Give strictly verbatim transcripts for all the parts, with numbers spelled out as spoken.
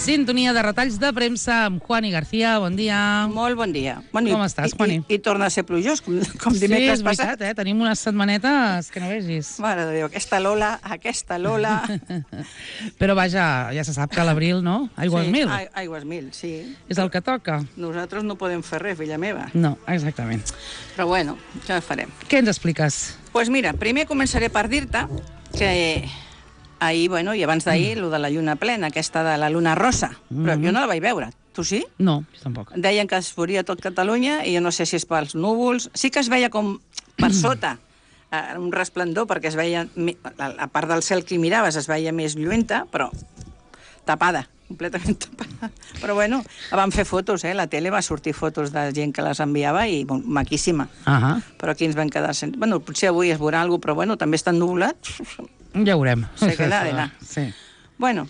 Sintonia de retalls de premsa amb Juani García. Bon dia. Molt bon dia. Bueno, com estàs, Juani? I, i, I torna a ser plujós, com, com sí, dimecres és veritat, passat. eh? Tenim unes setmanetes que no vegis. Mare de Déu, aquesta Lola, aquesta Lola... Però vaja, ja se sap que a l'abril, no? Aigües sí, mil. a, aigües mil, sí. És el que toca. Nosaltres no podem fer res, filla meva. No, exactament. Però bueno, ja ho farem. Què ens expliques? Doncs pues mira, primer començaré per dir-te que... Ahir, bueno, i abans d'ahir, mm. lo de la lluna plena, aquesta de la luna rosa. Mm. Però jo no la vaig veure. Tu sí? No, jo tampoc. Deien que es veuria tot Catalunya, i jo no sé si és pels núvols. Sí que es veia com per sota, eh, un resplendor, perquè es veia... La, la part del cel que hi miraves es veia més lluenta, però tapada, completament tapada. Però bueno, van fer fotos, eh? La tele va sortir fotos de gent que les enviava i bon, maquíssima. Uh -huh. Però aquí ens vam quedar sense... Bueno, potser avui es veurà alguna cosa, però bueno, també està ennubulat. Ja veurem. Se queda d'anar. Sí. Bueno,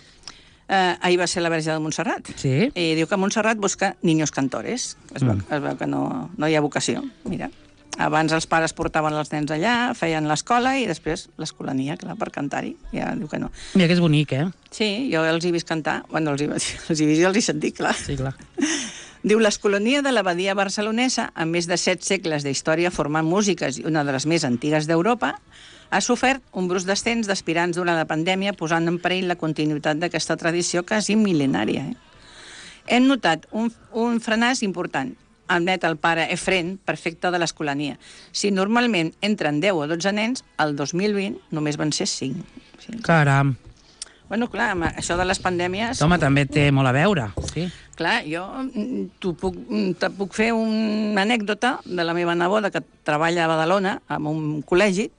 eh, ahir va ser la Verge de Montserrat. Sí. I diu que Montserrat busca niños cantores. Es veu, mm. es veu que no, no hi ha vocació. Mira, abans els pares portaven els nens allà, feien l'escola i després l'escolania, clar, per cantar-hi. Ja diu que no. Mira que és bonic, eh? Sí, jo els hi vist cantar. Bueno, els hi, els hi vist i els hi sentit, clar. Sí, clar. Diu, l'escolania de l'abadia barcelonesa, amb més de set segles d'història formant músiques i una de les més antigues d'Europa, ha sofert un brusc descens d'aspirants durant la pandèmia, posant en perill la continuïtat d'aquesta tradició quasi mil·lenària. Eh? Hem notat un, un frenàs important, admet el pare Efren, prefecte de l'escolania. Si normalment entren deu o dotze nens, el dos mil vint només van ser cinc. Sí. Caram. Bueno, clar, això de les pandèmies... Home, també té molt a veure, sí. Clar, jo puc, te puc fer una anècdota de la meva neboda que treballa a Badalona, en un col·legi,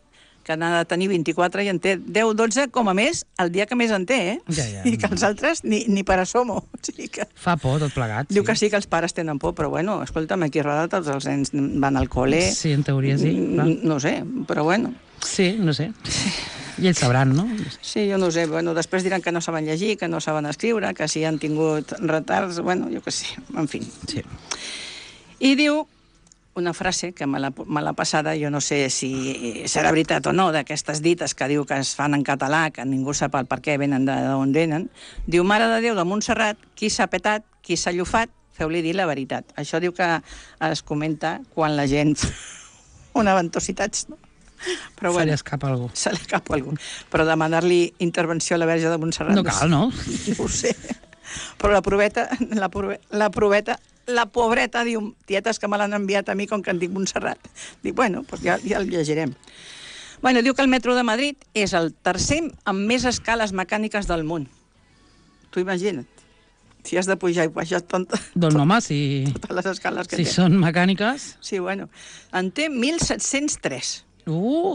que n'ha de tenir vint-i-quatre i en té deu dotze com a més el dia que més en té, eh? Ja, ja. I que els altres ni, ni per asomo. O sigui que... Fa por tot plegat, Diu sí. que sí que els pares tenen por, però bueno, escolta'm, aquí a Roda tots els nens van al col·le... Sí, en teoria sí. Clar. No sé, però bueno... Sí, no sé. I ells sabran, no? Sí, jo no sé. Bueno, després diran que no saben llegir, que no saben escriure, que si han tingut retards... Bueno, jo què sé, en fi. Sí. I diu una frase que me l'ha passada, jo no sé si serà veritat o no, d'aquestes dites que diu que es fan en català, que ningú sap el per què venen d'on venen. Diu, Mare de Déu de Montserrat, qui s'ha petat, qui s'ha llufat, feu-li dir la veritat. Això diu que es comenta quan la gent fa una ventositat, no? Però se bueno, li escapa algú. Se li escapa algú. Però demanar-li intervenció a la Verge de Montserrat... No cal, no? No ho sé. Però la proveta, la, prove, la proveta, la pobreta diu, tietes que me l'han enviat a mi com que en dic Montserrat. Dic, bueno, doncs ja, ja el llegirem. Bueno, diu que el metro de Madrid és el tercer amb més escales mecàniques del món. Tu imagina't. Si has de pujar i baixar tot, doncs tot, home, si, totes les escales que si té. són mecàniques... Sí, bueno. En té mil set-cents tres. Uh!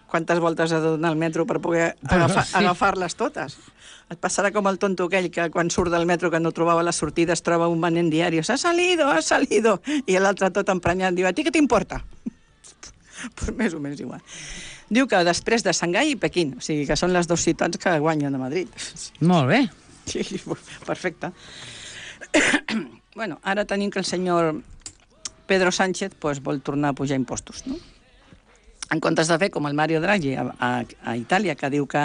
Quantes voltes ha de donar el metro per poder agafar, sí. agafar-les totes? Et passarà com el tonto aquell que quan surt del metro que no trobava la sortida es troba un venent diari. Ha salido, ha salido. I l'altre tot emprenyat diu, a ti què t'importa? Pues més o menys igual. Diu que després de Xangai i Pequín, o sigui que són les dues ciutats que guanyen a Madrid. Molt bé. Sí, perfecte. Bueno, ara tenim que el senyor Pedro Sánchez pues, vol tornar a pujar impostos, no? En comptes de fer com el Mario Draghi a, a, a Itàlia, que diu que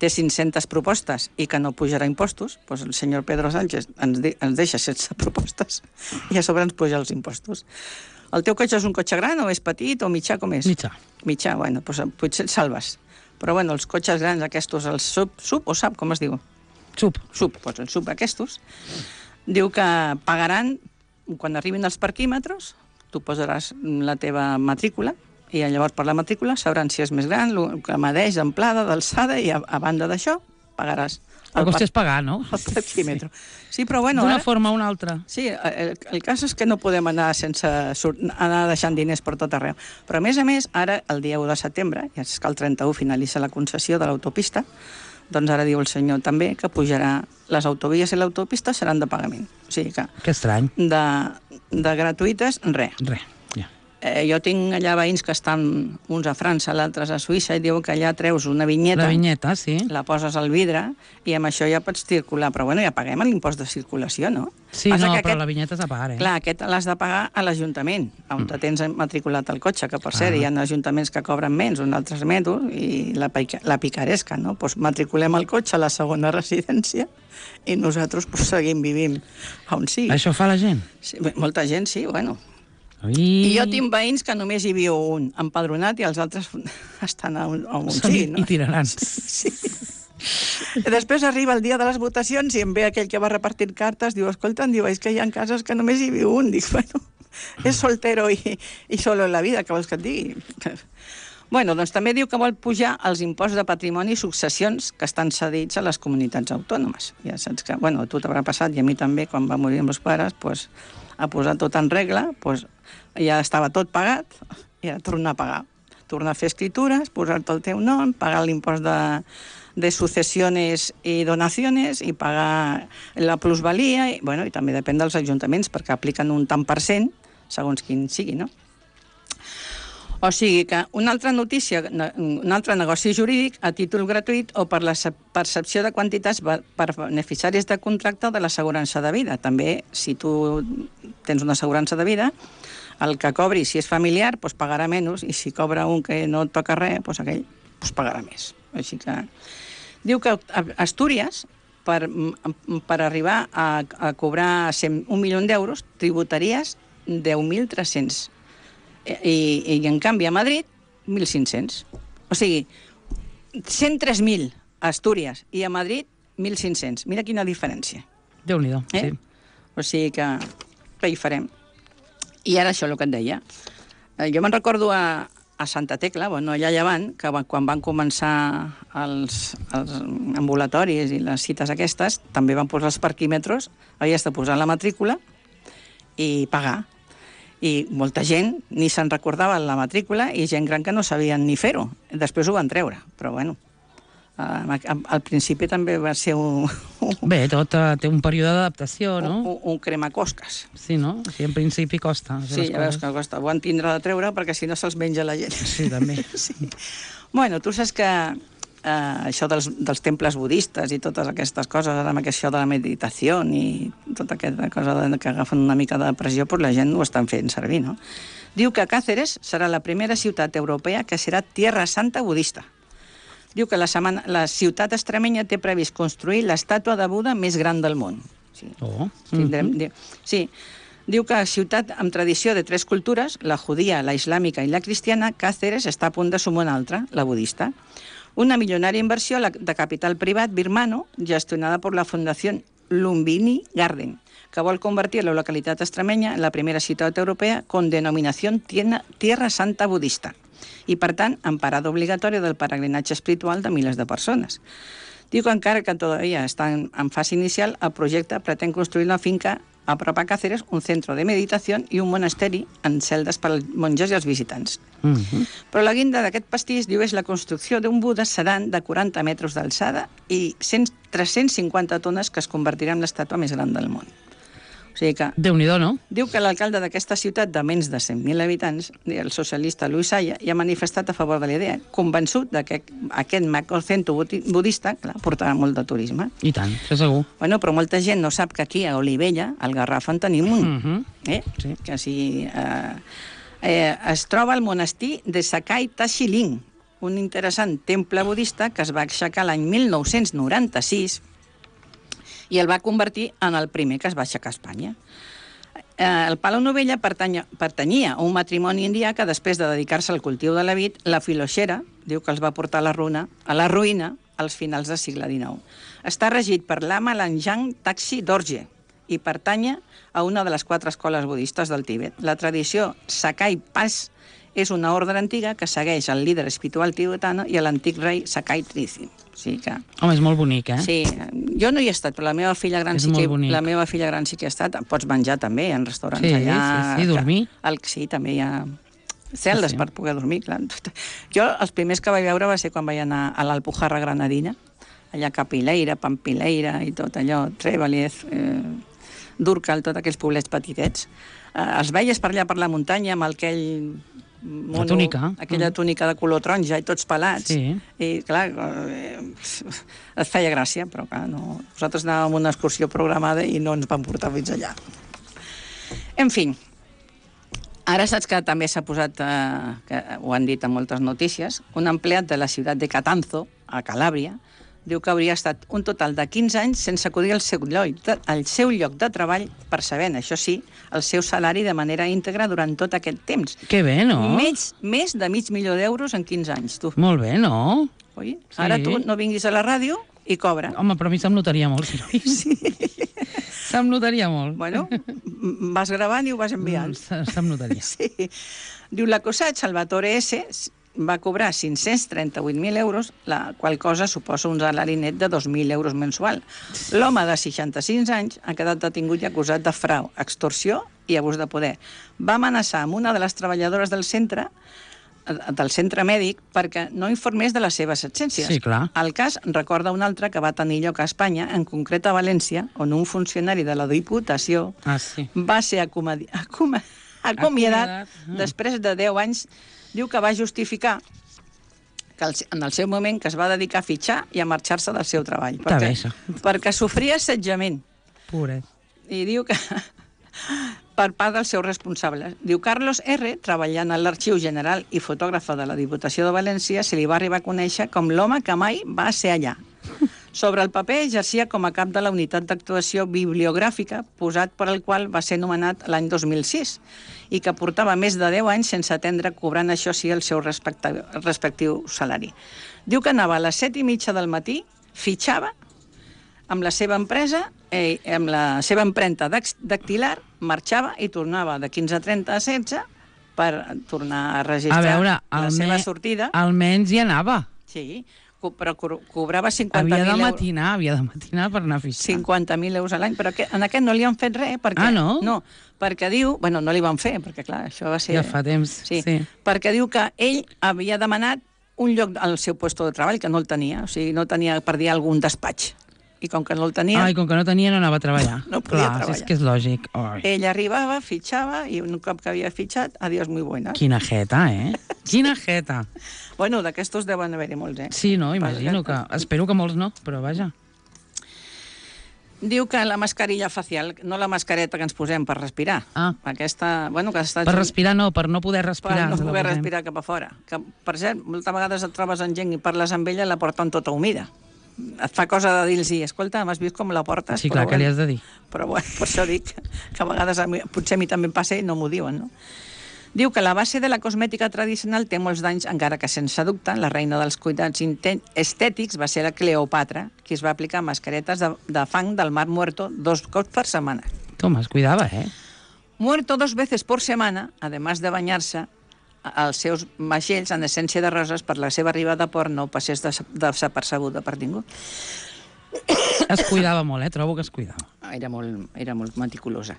té cinc-centes propostes i que no pujarà impostos, doncs el senyor Pedro Sánchez ens, de, ens deixa sense propostes i a sobre ens puja els impostos. El teu cotxe és un cotxe gran o és petit o mitjà, com és? Mitjà. Mitjà, bueno, doncs potser et salves. Però bueno, els cotxes grans aquests, els sub, sub o sap, com es diu? Sub. Sub, doncs els sub aquests, diu que pagaran, quan arribin els parquímetres, tu posaràs la teva matrícula, i llavors per la matrícula sabran si és més gran, el que medeix d'amplada, d'alçada, i a, a banda d'això pagaràs. El cost és pagar, no? El parquímetre. Sí, però bueno... D'una ara, forma o una altra. Sí, el, el cas és que no podem anar sense anar deixant diners per tot arreu. Però a més a més, ara, el dia u de setembre, ja és que el trenta-u finalitza la concessió de l'autopista, doncs ara diu el senyor també que pujarà les autovies i l'autopista seran de pagament. O sigui que... Que estrany. De, de gratuïtes, res. Res, ja. Eh, jo tinc allà veïns que estan, uns a França, l'altres a Suïssa, i diuen que allà treus una vinyeta, La vinyeta, sí. la poses al vidre, i amb això ja pots circular. Però bueno, ja paguem l'impost de circulació, no? Sí, Passa no, que però aquest, la vinyeta és a pagar, eh? clar, aquest l'has de pagar a l'Ajuntament, on mm. tens matriculat el cotxe, que per cert, Ah. hi ha ajuntaments que cobren menys, uns altres metos, i la, pica, la picaresca, no? Pues matriculem el cotxe a la segona residència i nosaltres pues, seguim vivint on sigui. Això fa la gent? Sí, bé, molta gent, sí, bueno. Ui. I jo tinc veïns que només hi viu un empadronat i els altres estan a on, a on Són sigui, no? itinerants. Sí. I després arriba el dia de les votacions i em ve aquell que va repartint cartes, diu, escolta, diu, és que hi ha cases que només hi viu un. Dic, bueno, és soltero i, i solo en la vida, que vols que et digui? Bueno, doncs també diu que vol pujar els imposts de patrimoni i successions que estan cedits a les comunitats autònomes. Ja saps que, bueno, a tu t'haurà passat, i a mi també, quan va morir amb els pares, pues, a posar tot en regla, pues, ja estava tot pagat, i ara tornar a pagar. Tornar a fer escritures, posar-te el teu nom, pagar l'impost de, de sucesiones i donaciones i pagar la plusvalia, i, bueno, i també depèn dels ajuntaments, perquè apliquen un tant per cent, segons quin sigui, no? O sigui que una altra notícia, un altre negoci jurídic a títol gratuït o per la percepció de quantitats per beneficiaris de contracte de l'assegurança de vida. També, si tu tens una assegurança de vida, el que cobri, si és familiar, doncs pagarà menys, i si cobra un que no et toca res, doncs aquell doncs pagarà més. Així que diu que Astúries, per, per arribar a, a cobrar un milió d'euros, tributaries deu mil tres-cents. I, i en canvi a Madrid mil cinc-cents. O sigui, cent tres mil a Astúries i a Madrid mil cinc-cents. Mira quina diferència. Déu-n'hi-do, eh? sí. O sigui que què hi farem? I ara això, el que et deia. Eh, jo me'n recordo a, a Santa Tecla, bueno, allà llevant, que quan van començar els, els ambulatoris i les cites aquestes, també van posar els parquímetres, havies de posar la matrícula i pagar. I molta gent ni se'n recordava la matrícula i gent gran que no sabien ni fer-ho. Després ho van treure, però bueno, al principi també va ser un... Bé, tot té un període d'adaptació, no? Un, un cremacosques. Sí, no? O sigui, en principi costa. Sí, ja veus que costa. Ho han tindre de treure perquè si no se'ls menja la gent. Sí, també. Sí. Bueno, tu saps que Uh, això dels, dels temples budistes i totes aquestes coses, ara amb això de la meditació i tota aquesta cosa de, que agafen una mica de pressió, doncs la gent ho estan fent servir, no? Diu que Cáceres serà la primera ciutat europea que serà Tierra Santa budista. Diu que la, setmana, la ciutat extremenya té previst construir l'estàtua de Buda més gran del món. Sí. Oh. Tindrem, Mm-hmm. diu, sí. Diu que ciutat amb tradició de tres cultures, la judía, la islàmica i la cristiana, Cáceres està a punt de sumar una altra, la budista. Una milionària inversió de capital privat birmano gestionada per la Fundació Lumbini Garden, que vol convertir la localitat extremenya en la primera ciutat europea con denominació Tierra Santa Budista i, per tant, en parada obligatòria del peregrinatge espiritual de milers de persones. Diu que encara que todavía està en, en fase inicial, el projecte pretén construir una finca a prop a Cáceres, un centre de meditació i un monasteri en celdes per als monges i els visitants. Mm-hmm. Però la guinda d'aquest pastís, diu, és la construcció d'un Buda sedan de quaranta metres d'alçada i tres-cents cinquanta tones que es convertirà en l'estàtua més gran del món. O sigui que... Déu-n'hi-do, no? Diu que l'alcalde d'aquesta ciutat de menys de cent mil habitants, el socialista Luis Saya, ja ha manifestat a favor de la idea, convençut de que aquest macrocentre budista, clar, portarà molt de turisme. I tant, això segur. Bueno, però molta gent no sap que aquí, a Olivella, al Garraf, en tenim un. Mm-hmm. eh? Sí. Que si... Eh, eh, es troba al monestir de Sakai Tachiling, un interessant temple budista que es va aixecar l'any mil nou-cents noranta-sis i el va convertir en el primer que es va aixecar a Espanya. Eh, el Palau Novella pertanya, pertanyia a un matrimoni indià que després de dedicar-se al cultiu de la vid, la filoxera, diu que els va portar a la ruïna, a la ruïna als finals del segle dinou. Està regit per l'ama Lanjang Taxi Dorje i pertanya a una de les quatre escoles budistes del Tibet. La tradició Sakai Pas és una ordre antiga que segueix el líder espiritual tibetano i l'antic rei Sakai Trizin. O sigui que... Home, és molt bonic, eh? Sí, jo no hi he estat, però la meva filla gran, És sí que, molt bonic. la meva filla gran sí que hi ha estat. Pots menjar també en restaurants Sí, allà. sí, sí, dormir. El, sí, també hi ha celdes Sí, sí. per poder dormir, clar. Jo els primers que vaig veure va ser quan vaig anar a l'Alpujarra Granadina, allà a Capileira, Pampileira i tot allò, Trevaliez, eh, Durcal, tots aquells poblets petitets. Eh, els veies per allà per la muntanya amb aquell... Mono, la túnica. Aquella túnica de color taronja i tots pelats. Sí. I, clar, eh, et feia gràcia, però, clar, no. Nosaltres anàvem a una excursió programada i no ens vam portar fins allà. En fi, ara saps que també s'ha posat, eh, que ho han dit en moltes notícies, un empleat de la ciutat de Catanzo, a Calàbria, diu que hauria estat un total de quinze anys sense acudir al seu lloc de, al seu lloc de treball, percebent, això sí, el seu salari de manera íntegra durant tot aquest temps. Que bé, no? Més, més de mig milió d'euros en quinze anys, tu. Molt bé, no? Oi? Sí. Ara tu no vinguis a la ràdio i cobra. Home, però a mi se'm notaria molt, si no vinc. Sí. Se'm notaria molt. Bueno, vas gravant i ho vas enviant. Se, se'm notaria. Sí. Diu, l'acusat Salvatore S. va cobrar cinc-cents trenta-vuit mil euros, la qual cosa suposa un salari net de dos mil euros mensual. L'home de seixanta-sis anys ha quedat detingut i acusat de frau, extorsió i abús de poder. Va amenaçar amb una de les treballadores del centre del centre mèdic perquè no informés de les seves absències. Sí, clar. El cas recorda un altre que va tenir lloc a Espanya, en concret a València, on un funcionari de la Diputació ah, sí. va ser acomadi... acom... acomiadat mm. després de deu anys. Diu que va justificar que en el seu moment que es va dedicar a fitxar i a marxar-se del seu treball. Perquè, perquè sofria assetjament. Pobret. I diu que per part dels seus responsables. Diu, Carlos R., treballant a l'Arxiu General i fotògrafa de la Diputació de València, se li va arribar a conèixer com l'home que mai va ser allà. Sobre el paper exercia com a cap de la unitat d'actuació bibliogràfica posat per al qual va ser nomenat l'any dos mil sis i que portava més de deu anys sense atendre, cobrant això sí el seu respectiu, respectiu salari. Diu que anava a les set i mitja del matí, fitxava amb la seva empresa, eh, amb la seva empremta dactilar, marxava i tornava de quinze trenta a setze per tornar a registrar a veure, la seva sortida. Almenys hi anava. Sí, però co cobrava cinquanta mil euros. Havia de matinar, havia de matinar per anar a fitxar. cinquanta mil euros a l'any, però que, en aquest no li han fet res. Perquè, ah, no? No, perquè diu... Bueno, no li van fer, perquè clar, això va ser... Ja fa temps, sí. sí. Perquè diu que ell havia demanat un lloc al seu lloc de treball, que no el tenia, o sigui, no tenia per dir algun despatx. I com que no el tenia... Ah, i com que no tenia no anava a treballar. No podia clar, treballar. És que és lògic. Ai. Ell arribava, fitxava, i un cop que havia fitxat, adiós, muy buenas. Quina jeta, eh? Quina jeta. Bueno, d'aquestos deuen haver-hi molts, eh? Sí, no, imagino que... Espero que molts no, però vaja. Diu que la mascarilla facial, no la mascareta que ens posem per respirar. Ah. Aquesta, bueno, que està... Per respirar no, per no poder respirar. Per no poder respirar cap a fora. Que, per cert, moltes vegades et trobes en gent i parles amb ella i la porten tota humida. Et fa cosa de dir-los, escolta, m'has vist com la portes? Sí, clar, però, que li has de dir. Però bueno, per això dic que a vegades a mi, potser a mi també em passa i no m'ho diuen, no? Diu que la base de la cosmètica tradicional té molts danys, encara que sense dubte la reina dels cuidats estètics va ser la Cleopatra, qui es va aplicar mascaretes de, de fang del mar Muerto dos cops per setmana. Toma, es cuidava, eh? Muerto dos veces por semana, además de bañarse, els seus vaixells en essència de roses per la seva arribada a port no passés desapercebuda per ningú. Es cuidava molt, eh? Trobo que es cuidava. Era molt, era molt meticulosa.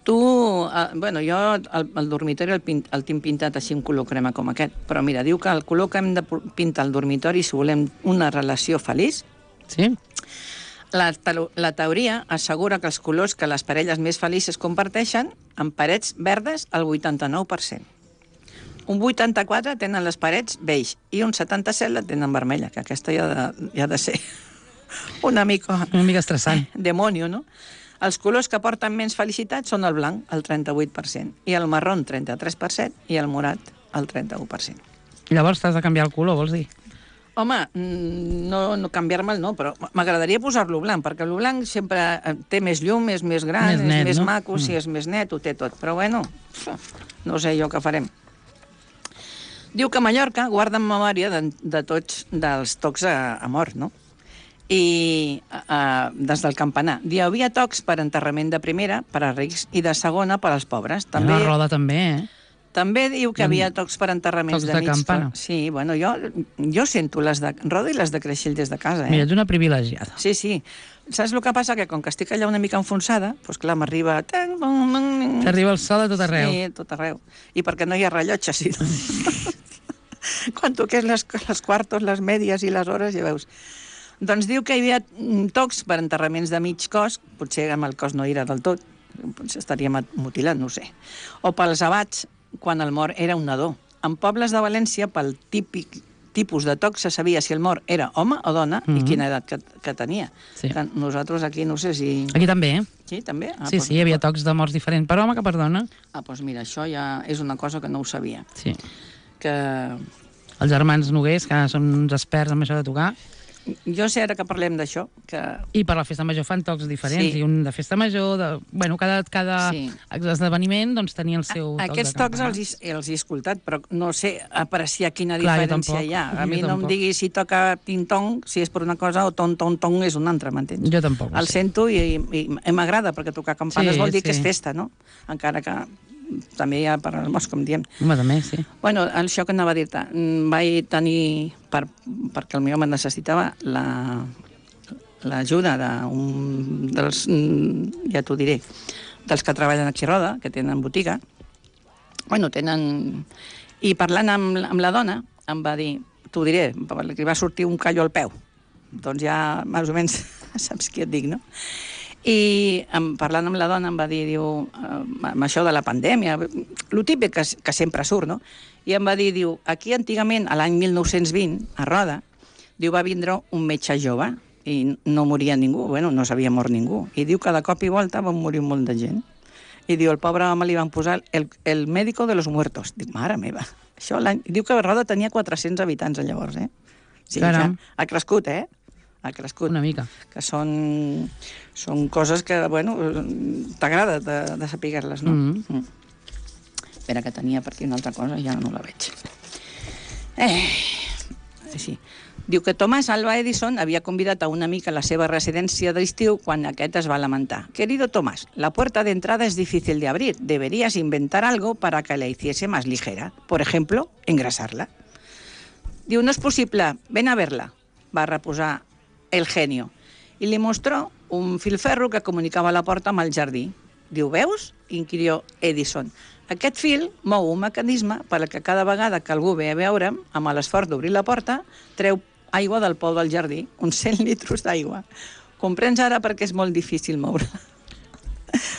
Tu, eh, bueno, jo el, el dormitori el, pint, el tinc pintat així un color crema com aquest, però mira, diu que el color que hem de pintar al dormitori si volem una relació feliç, sí? La, la teoria assegura que els colors que les parelles més felices comparteixen en parets verdes el vuitanta-nou per cent. Un vuitanta-quatre tenen les parets beix i un setanta-set la tenen vermella, que aquesta ja ha de, ja ha de ser una mica... Una mica estressant. Demonio, no? Els colors que porten menys felicitat són el blanc, el trenta-vuit per cent, i el marró, trenta-tres per cent, i el morat, el trenta-u per cent. Llavors t'has de canviar el color, vols dir? Home, no, no canviar-me'l no, però m'agradaria posar-lo blanc, perquè el blanc sempre té més llum, és més gran, més net, és més no? maco, mm. sí, és més net, ho té tot. Però bueno, no sé jo què farem. Diu que Mallorca guarda en memòria de, de tots dels tocs a, a mort, no? I uh, des del campanar. Hi havia tocs per enterrament de primera, per a rics, i de segona per als pobres. També... La roda també, eh? També diu que hi havia tocs per enterraments tocs de, de campana. Sí, bueno, jo, jo sento les de roda i les de creixell des de casa, eh? Mira, ets una privilegiada. Sí, sí. Saps el que passa? Que com que estic allà una mica enfonsada, doncs clar, m'arriba... T'arriba el sol a tot arreu. Sí, a tot arreu. I perquè no hi ha rellotge, sí. Quan toques les, les quartos, les mèdies i les hores, ja veus. Doncs diu que hi havia tocs per enterraments de mig cos, potser amb el cos no era del tot, potser estaria mutilat, no ho sé. O pels abats, quan el mort era un nadó. En pobles de València, pel típic tipus de toc, se sabia si el mort era home o dona mm -hmm. i quina edat que, que tenia. Sí. Que nosaltres aquí, no sé si... Aquí també, eh? Sí, també? Ah, sí, doncs, sí, hi havia tocs de morts diferents per home que per dona. Ah, doncs mira, això ja és una cosa que no ho sabia. Sí. Que... Els germans Noguers, que són uns experts en això de tocar. Jo sé ara que parlem d'això, que... I per la festa major fan tocs diferents, Sí. i un de festa major, de... bueno, cada, cada Sí. esdeveniment doncs, tenia el seu A, toc aquests de tocs campana. els, he- els he escoltat, però no sé apreciar quina Clar, jo diferència tampoc. hi ha. A Jo mi no em tampoc. digui si toca ting-tong, si és per una cosa, o ton-ton-tong és una altra, m'entens? Jo tampoc ho El sé. sento i, i, i m'agrada, perquè tocar campanes Sí, vol dir sí. que és festa, no? Encara que també hi ha per al mos, com diem. Home, també, sí. Bueno, això que anava a dir-te, mm, vaig tenir, per, perquè el meu home necessitava la l'ajuda d'un dels, mm, ja t'ho diré, dels que treballen aquí a Roda, que tenen botiga. Bueno, tenen... I parlant amb, amb la dona, em va dir, t'ho diré, li va sortir un callo al peu. Doncs ja, més o menys, saps què et dic, no? I em, parlant amb la dona em va dir, diu, eh, amb això de la pandèmia, lo típic que, que sempre surt, no? I em va dir, diu, aquí antigament, a l'any mil nou-cents vint, a Roda, diu, va vindre un metge jove i no moria ningú, bueno, no s'havia mort ningú. I diu que de cop i volta van morir un munt de gent. I diu, el pobre home li van posar el, el médico de los muertos. Dic, mare meva, això l'any... Diu que Roda tenia quatre-cents habitants llavors, eh? Sí, Caram. ja ha crescut, eh? Ha crescut. Una mica. Que són, són coses que, bueno, t'agrada de, de saber-les, no? Mm. Mm. Espera, que tenia per aquí una altra cosa, ja no la veig. Eh, sí. Diu que Thomas Alva Edison havia convidat a un amic a la seva residència d'estiu quan aquest es va lamentar. Querido Tomás, la puerta de entrada es difícil de abrir. Deberías inventar algo para que la hiciese más ligera. Por ejemplo, engrasarla. Diu, no es possible, ven a verla, va reposar el genio. I li mostró un filferro que comunicava la porta amb el jardí. Diu, veus? Inquirió Edison. Aquest fil mou un mecanisme per a que cada vegada que algú ve a veure'm, amb l'esforç d'obrir la porta, treu aigua del pou del jardí, uns cent litres d'aigua. Comprens ara perquè és molt difícil moure-la.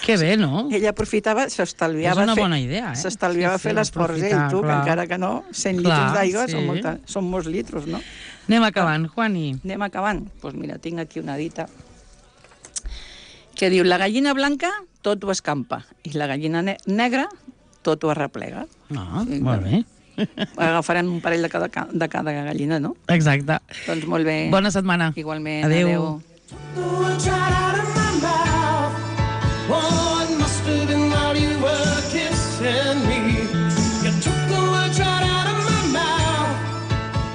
Que bé, no? Ella aprofitava, s'estalviava És una fer, bona idea, eh? s'estalviava Sí, fer sí, l'esforç aprofitar, ell, tu, que clar. encara que no, cent Clar, litres d'aigua sí. són, molta, són molts litres, no? Anem acabant, Juani. Anem acabant. Doncs pues mira, tinc aquí una dita que diu, la gallina blanca tot ho escampa i la gallina ne negra tot ho arreplega. Ah, Sí, molt bé. Agafarem un parell de cada, de cada gallina, no? Exacte. Doncs molt bé. Bona setmana. Igualment. Adéu. Adéu.